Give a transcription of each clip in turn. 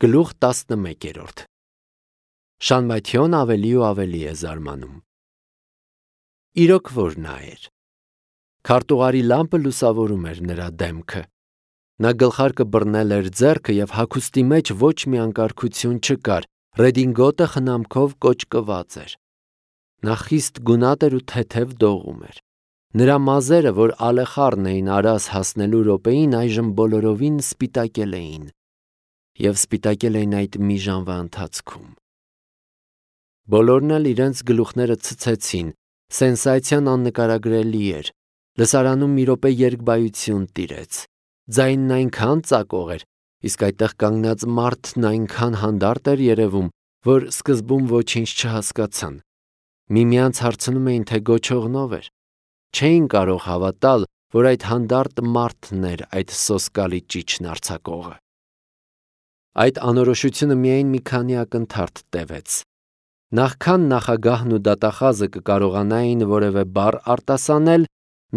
Գլուխ 11 Շանմաթիոն ավելի ու ավելի է զարմանում։ Իրոք որ նա էր։ Քարտուղարի լամպը լուսավորում էր նրա դեմքը։ Նա գլխարկը բռնել էր ձեռքը և հագուստի մեջ ոչ մի անկարգություն չկար, ռեդինգոտը խնամքով կոճկված էր։ Նա խիստ գունատ էր ու թեթև դողում էր։ Նրա մազերը, որ ալեխառն էին Արաս հասնելու րոպեին, այժմ բոլորովին սպիտակել էին։ Եվ սպիտակել էին այդ մի ժամվա ընթացքում։ Բոլորն էլ իրենց գլուխները ցցեցին, սենսացիան աննկարագրելի էր, լսարանում մի րոպե երկբայություն տիրեց, ձայնն այնքան ծակող էր, իսկ այդտեղ կանգնած մարդն այնքան հանդարտ էր երևում, որ սկզբում ոչինչ չհասկացան, միմյանց հարցնում էին, թե գոչողնով էր, չէին կարող հավատալ, որ այդ հանդարտ մարդն էր այդ սոսկալի ճիչն արձակողը։ Այդ անորոշությունը միայն մի քանի ակնթարթ տևեց։ Նախքան նախագահն ու դատախազը կկարողանային որևէ բառ արտասանել,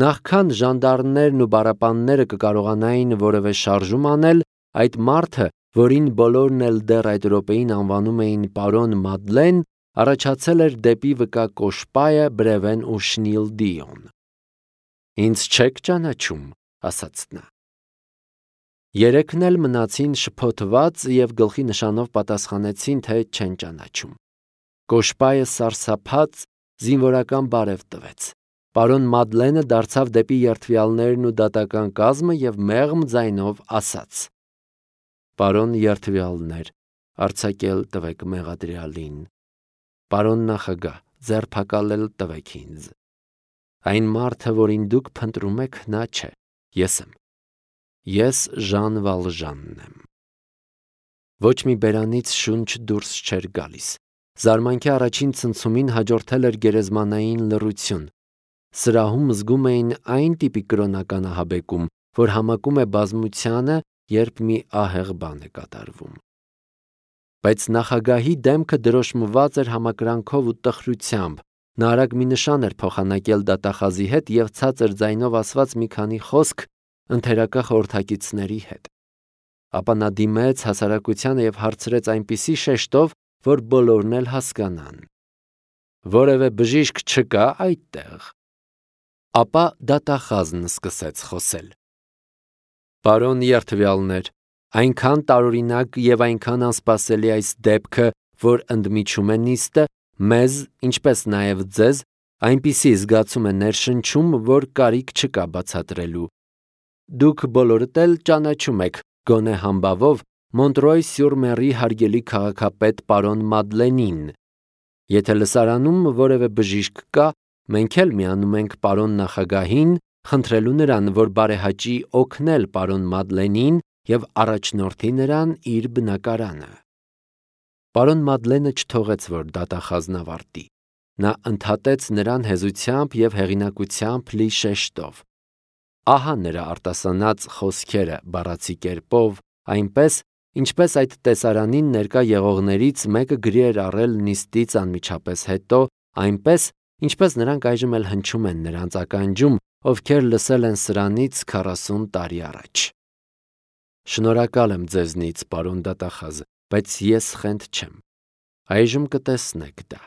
նախքան ժանդարմներն ու բառապանները կկարողանային որևէ շարժում անել, այդ մարդը, որին բոլորն էլ դեռ այդ րոպեին անվանում էին պարոն Մադլեն, առաջացել էր դեպի վկա Կոշպայը, Բրևեն ու Շնիլդիոն։ «Ինձ չեք ճանաչում», ասաց նա։ Երեքն էլ մնացին շփոթված և գլխի նշանով պատասխանեցին, թե չեն ճանաչում։ Կոշպայը սարսափած զինվորական բարև տվեց։ Պարոն Մադլենը դարձավ դեպի երդվյալներն ու դատական կազմը և մեղմ ձայնով ասաց. «Պարոն երդվյալներ, արձակել տվեք մեղադրյալին։ Պարոն նախագահ, ձերբակալել տվեք ինձ։ Այն մարդը, որին դուք փնտրում եք, նա չէ, ես եմ։ Ես Ժան Վալժանն եմ»։ Ոչ մի բերանից շունչ դուրս չէր գալիս։ Զարմանքի առաջին ցնցումին հաջորդել էր գերեզմանային լռություն։ Սրահում զգում էին այն տիպի կրոնական ահաբեկում, որ համակում է բազմությանը, երբ մի ահեղ բան է կատարվում։ Բայց նախագահի դեմքը դրոշմված էր համակրանքով ու տխրությամբ։ Նա արագ մի նշան էր փոխանակել դատախազի հետ և ցածր ձայնով ասված մի քանի խոսք ընթերակա խորհրդակիցների հետ։ Ապա նա դիմեց հասարակությանը և հարցրեց այնպիսի շեշտով, որ բոլորն էլ հասկանան. «Որևէ բժիշկ չկա այդտեղ»։ Ապա դատախազն սկսեց խոսել. «Պարոն երդվյալներ, այնքան տարօրինակ և այնքան անսպասելի այս դեպքը, որ ընդմիջում է նիստը, մեզ, ինչպես նաև ձեզ, այնպիսի զգացում է ներշնչում, որ կարիք չկա բացատրելու։ Դուք բոլորդ էլ ճանաչում եք, գոնե համբավով, Մոնտրոյ-սյուր-Մերի հարգելի քաղաքապետ պարոն Մադլենին։ Եթե լսարանում որևէ բժիշկ կա, մենք էլ միանում ենք պարոն նախագահին, խնդրելու նրան, որ բարեհաճի օգնել պարոն Մադլենին և առաջնորդի նրան իր բնակարանը»։ Պարոն Մադլենը չթողեց, որ դատախազն ավարտի։ Նա ընդհատեց նրան հեզությամբ և հեղինակությամբ լի շեշտով։ Ահա նրա արտասանած խոսքերը բառացի կերպով, այնպես, ինչպես այդ տեսարանին ներկա եղողներից մեկը գրի էր առել նիստից անմիջապես հետո, այնպես, ինչպես նրանք այժմ էլ հնչում են նրանց ականջում, ովքեր լսել են սրանից 40 տարի առաջ։ Շնորհակալ եմ ձեզնից, պարոն դատախազ, բայց ես խենթ չեմ։ Այժմ կտեսնեք դա։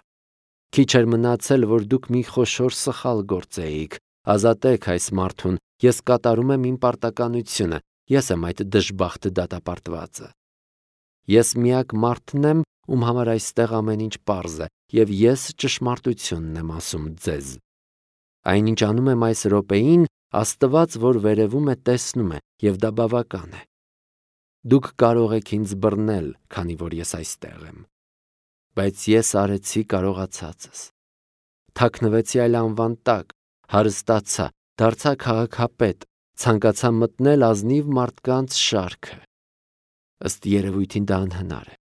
Քիչ էր մնացել, որ դուք մի խոշոր սխալ գործեիք։ Ազատեք այս մարդուն, ես կատարում եմ իմ պարտականությունը, ես եմ այդ դժբախտ դատապարտվածը։ Ես միակ մարդն եմ, ում համար այստեղ ամեն ինչ պարզ է, և ես ճշմարտությունն եմ ասում ձեզ։ Այնինչ անում եմ այս րոպեին, Աստված, որ վերևում է, տեսնում է, և դա բավական է։ Դուք կարող եք ինձ բռնել, քանի որ ես այստեղ եմ։ Բայց ես արեցի կարողացածս։ Թաքնվեցի այլ անվան տակ, հարստացա, դարձա քաղաքապետ, ցանկացա մտնել ազնիվ մարդկանց շարքը։ Ըստ երևույթին դա անհնար է։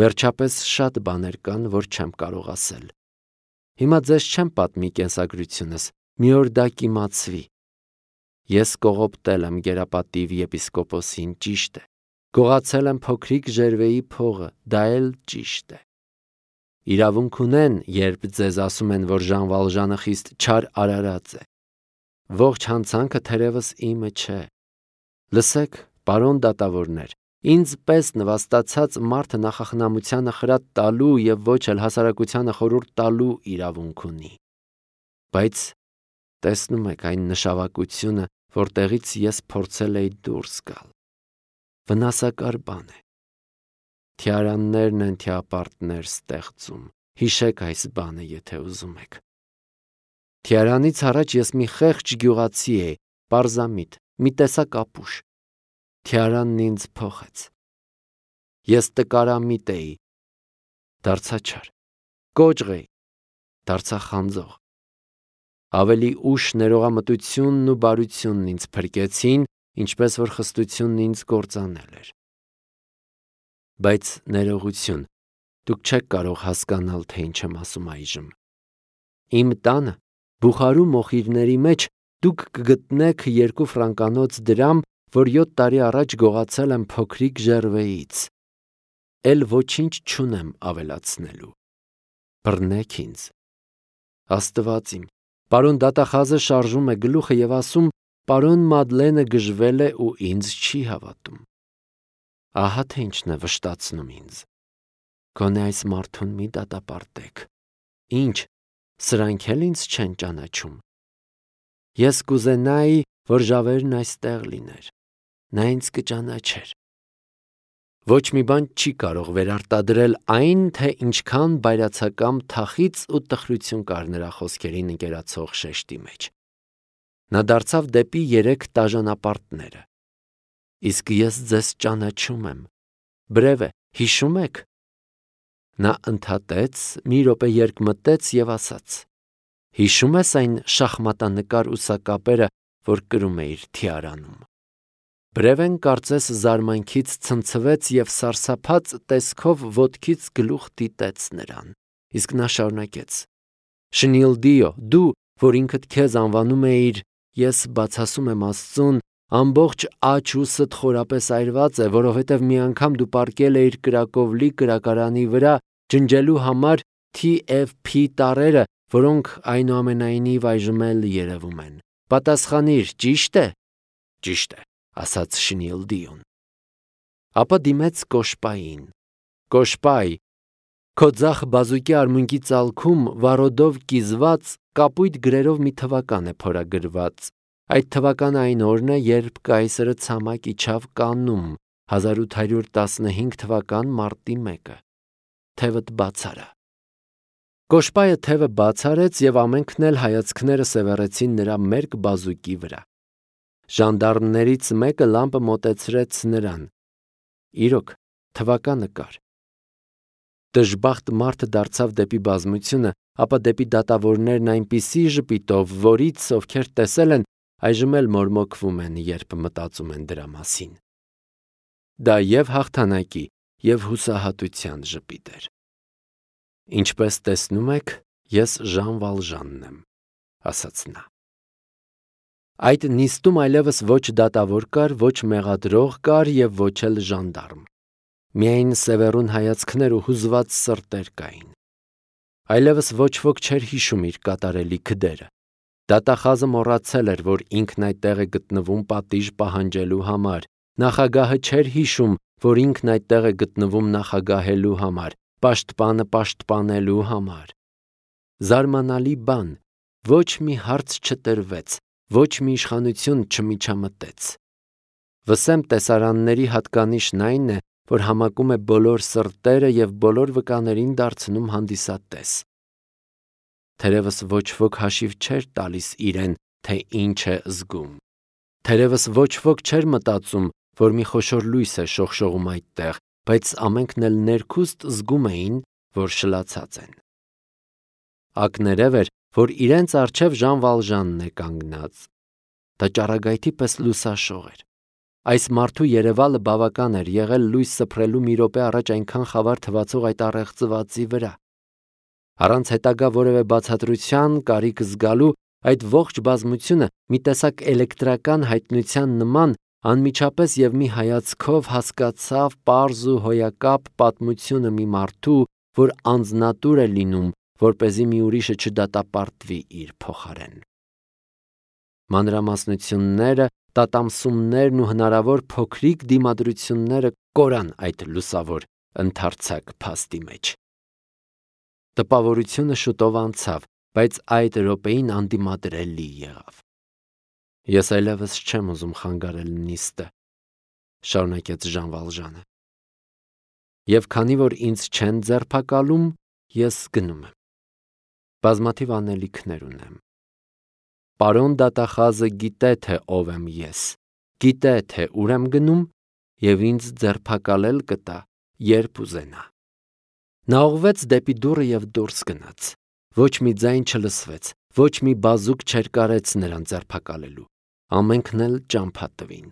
Վերջապես շատ բաներ կան, որ չեմ կարող ասել։ Հիմա ձեզ չեմ պատմի կենսագրությունս, մի օր դա կիմացվի։ Ես կողոպտել եմ գերապատիվ եպիսկոպոսին, ճիշտ է։ Գողացել եմ փոքրիկ Ժերվեի փողը, դա էլ ճիշտ է։ Իրավունք ունեն, երբ ձեզ ասում են, որ Ժան Վալժանը խիստ չար արարած է։ Ողջ հանցանքը թերևս իմը չէ։ Լսեք, պարոն դատավորներ, Ինձ պես նվաստացած մարդը նախախնամությանը խրատ տալու եւ ոչ էլ հասարակությանը խորհուրդ տալու իրավունք ունի։ Բայց տեսնում եք այն նշավակությունը, որտեղից ես փորձել էի դուրս գալ։ Վնասակար բան է։ Թիարաններն են թիապարտներ ստեղծում։ Հիշեք այս բանը, եթե ուզում եք։ Թիարանից առաջ ես մի խեղճ գյուղացի էի, պարզամիտ, մի տեսակ ապուշ։ Թիարանն ինձ փոխեց։ Ես տկարամիտ էի, դարձա չար, կոճղ էի, դարձա խանձող։ Ավելի ուշ ներողամտությունն ու բարությունն ինձ փրկեցին, ինչպես որ խստությունն ինձ կործանել էր։ Բայց ներողություն, դուք չեք կարող հասկանալ, թե ինչ եմ ասում այժմ։ Իմ տանը, Բուխարու մոխիրների մեջ դուք կգտնեք 2 ֆրանկանոց դրամ, որ 7 տարի առաջ գողացել եմ փոքրիկ Ժերվեից։ Էլ ոչինչ չունեմ ավելացնելու։ Բռնեք ինձ։ Աստված իմ, պարոն դատախազը շարժում է գլուխը եւ ասում, պարոն Մադլենը գժվել է ու ինձ չի հավատում։ Ահա թե ինչն է վշտացնում ինձ։ Գոնե այս մարդուն մի դատապարտեք։ Ինչ, սրանք էլ ինձ չեն ճանաչում։ Ես կուզենայի, որ Ժավերն այստեղ լիներ։ Նա ինձ կճանաչեր։ Ոչ մի բան չի կարող վերարտադրել այն, թե ինչքան բայրացակամ թախիծ ու տխրություն կար նրա խոսքերին ընկերացող շեշտի մեջ։ Նա դարձավ դեպի 3 տաժանապարտները։ Իսկ ես ձեզ ճանաչում եմ։ Բրև է, հիշում եք։ Նա ընդհատեց, մի րոպե երկմտեց եւ ասաց. Հիշում ես այն շախմատանկար ուսակապերը, որ կրում էիր թիարանում։ Բրևեն կարծես զարմանքից ցնցվեց եւ սարսափած տեսքով ոտքից գլուխ դիտեց նրան։ Իսկ նա շարունակեց. Շնիլդիո, դու, որ ինքդ քեզ անվանում էիր, ես բացասում եմ Աստծուն, ամբողջ աջ ուսդ խորապես այրված է, որովհետև մի անգամ դու պառկել էիր Կրակովլի կրակարանի վրա ջնջելու համար TFP տարրերը, որոնք այնուամենայնիվ այժմ էլ երևում են։ Պատասխանիր, ճիշտ է։ Ճիշտ է, ասաց Շնիլդիոն։ Ապա դիմեց Կոշպային։ Կոշպայ, քո ձախ բազուկի արմունկի ծալքում վառոդով կիզված կապույտ գրերով մի թվական է փորագրված։ Այդ թվականը այն օրն է, երբ կայսրը ցամաք իջավ Կաննում, 1815 թվական մարտի 1-ը։ Թևդ բաց արա։ Կոշպայը թևը բաց արեց եւ ամենքն էլ հայացքները սևեռեցին նրա մերկ բազուկի վրա։ Ժանդարմներից մեկը լամպը մոտեցրեց նրան։ Իրոք, թվականը կար։ Դժբախտ մարդը դարձավ դեպի բազմությունը, ապա դեպի դատավորներն այնպիսի ժպիտով, որից ովքեր տեսել են, այժմ էլ մորմոքվում են, երբ մտածում են դրա մասին։ Դա եւ հաղթանակի, եւ հուսահատության ժպիտ էր։ Ինչպես տեսնում եք, ես Ժան Վալժանն եմ, ասաց նա։ Այդ նիստում այլևս ոչ դատավոր կար, ոչ մեղադրող կար եւ ոչ էլ ժանդարմ։ Միայն սևեռուն հայացքներ ու հուզված սրտեր կային։ Այլևս ոչ ոք չէր հիշում իր կատարելի քդերը։ Դատախազը մոռացել էր, որ ինքն այդտեղ է գտնվում պատիժ պահանջելու համար։ Նախագահը չէր հիշում, որ ինքն այդտեղ է գտնվում նախագահելու համար, պաշտպանը պաշտպանելու համար։ Զարմանալի բան, ոչ մի հարց չտրվեց, ոչ մի իշխանություն չմիջամտեց։ Վսեմ տեսարանների հատկանիշն այն է, որ համակում է բոլոր սրտերը եւ բոլոր վկաներին դարձնում հանդիսատես։ Թերևս ոչ ոք հաշիվ չէր տալիս իրեն, թե ինչ է զգում։ Թերևս ոչ ոք չէր մտածում, որ մի խոշոր լույս է շողշողում այդտեղ, բայց ամենքն էլ ներքուստ զգում էին, որ շլացած են։ Ակներև էր, որ իրենց առջև Ժան Վալժանն է կանգնած։ Դա ճառագայթի պես լուսաշող էր։ Այս մարդու երևալը բավական էր եղել լույս սփռելու մի րոպե առաջ այնքան խավար թվացող այդ առեղծվածի վրա։ Առանց հետագա որևէ բացատրության կարիք զգալու այդ ողջ բազմությունը մի տեսակ էլեկտրական հայտնության նման անմիջապես եւ մի հայացքով հասկացավ պարզ ու հոյակապ պատմությունը մի մարդու, որ անձնատուր է լինում, որպեսզի մի ուրիշը չդատապարտվի իր փոխարեն։ Մանրամասնությունները, տատամսումներն ու հնարավոր փոքրիկ դիմադրությունները կորան այդ լուսավոր ընդարձակ փաստի մեջ։ Տպավորությունը շուտով անցավ, բայց այդ րոպեին անդիմադրելի եղավ։ Ես այլևս չեմ ուզում խանգարել նիստը, շարունակեց Ժան Վալժանը։ Եվ քանի որ ինձ չեն ձերբակալում, ես գնում եմ։ Բազմաթիվ անելիքներ ունեմ։ Պարոն դատախազը գիտե, թե ով եմ ես, գիտե, թե ուր եմ գնում և ինձ ձերբակալել կտա, երբ ուզենա։ Նա ուղղվեց դեպի դուռը և դուրս գնաց։ Ոչ մի ձայն չլսվեց, ոչ մի բազուկ չերկարեց նրան ձերբակալելու։ Ամենքն էլ ճամփա տվին։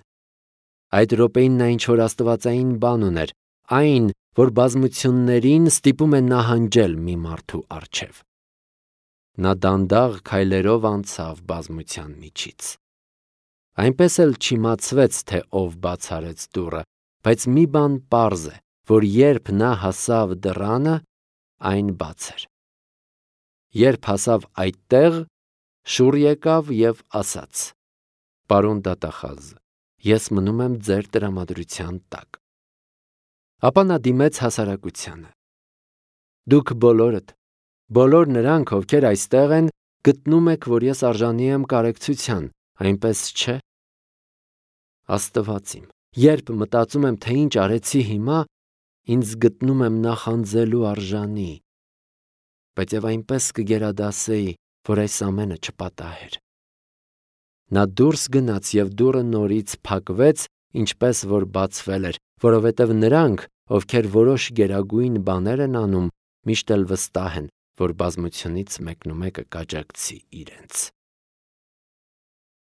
Այդ րոպեին նա ինչ-որ աստվածային բան ուներ, այն, որ բազմություններին ստիպում է նահանջել մի մարդու առջև։ Նա դանդաղ քայլերով անցավ բազմության միջից։ Այնպես էլ չիմացվեց, թե ով բաց արեց դուռը, բայց մի բան պարզ է, որ երբ նա հասավ դռանը, այն բաց էր։ Երբ հասավ այդտեղ, շուռ եկավ և ասաց. «Պարոն դատախազ, ես մնում եմ ձեր տրամադրության տակ»։ Ապա նա դիմեց հասարակությանը. «Դուք բոլորդ, բոլոր նրանք, ովքեր այստեղ են, գտնում եք, որ ես արժանի եմ կարեկցության, այնպես չէ՞։ Աստված իմ, երբ մտածում եմ, թե ինչ արեցի հիմա, ինձ գտնում եմ նախանձելու արժանի, բայց և այնպես կգերադասեի, որ այս ամենը չպատահեր»։ Նա դուրս գնաց և դուռը նորից փակվեց, ինչպես որ բացվել էր, որովհետև նրանք, ովքեր որոշ գերագույն բաներ են անում, միշտ էլ վստահ են, որ բազմությունից մեկնումեկը կաջակցի իրենց։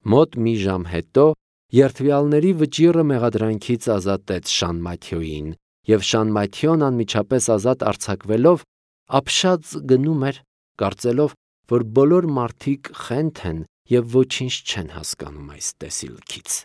Մոտ մի ժամ հետո երդվյալների վճիռը մեղադրանքից ազատեց Շան Մաթյոյին, և Շան Մաթյոն անմիջապես ազատ արձակվելով ապշած գնում էր, կարծելով, որ բոլոր մարդիկ խենթ են և ոչինչ չեն հասկանում այս տեսիլքից։